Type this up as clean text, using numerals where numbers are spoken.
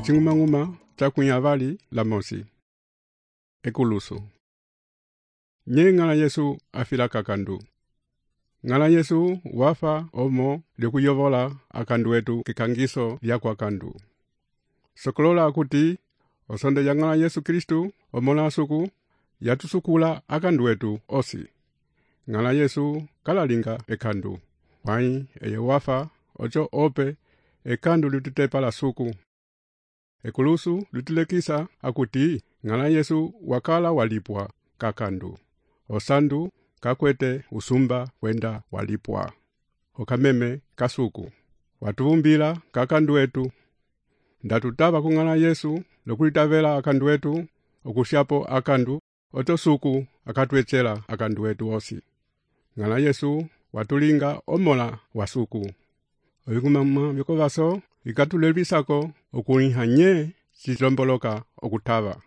Ocing'umang'uma cakunya vali la mosi. Ekulusu. Nye ng'ala Yesu afila kakandu. Ng'ala Yesu wafa omo likuyovola akandu wetu kikangiso lya kwa kandu. Sokolola akuti osonde ya ng'ala Yesu Kristu omola asuku yatusukula akandu wetu osi. Ng'ala Yesu kalalinga ekandu. Wai eye wafa ocho ope ekandu litutepa la suku. Ekulusu lutulekisa akuti ng'ala Yesu wakala walipwa kakandu. Osandu kakwete usumba wenda walipwa. Okameme kasuku. Watuvumbila kakandu wetu. Ndatutaba kung'ala Yesu lokulitavela akandu wetu okushapo akandu oto suku akatwechela akandu wetu osi. Ng'ala Yesu watulinga omola wasuku. Oing'umang'uma vikovaso ikatulebisako okuliha nye chilomboloka okutava.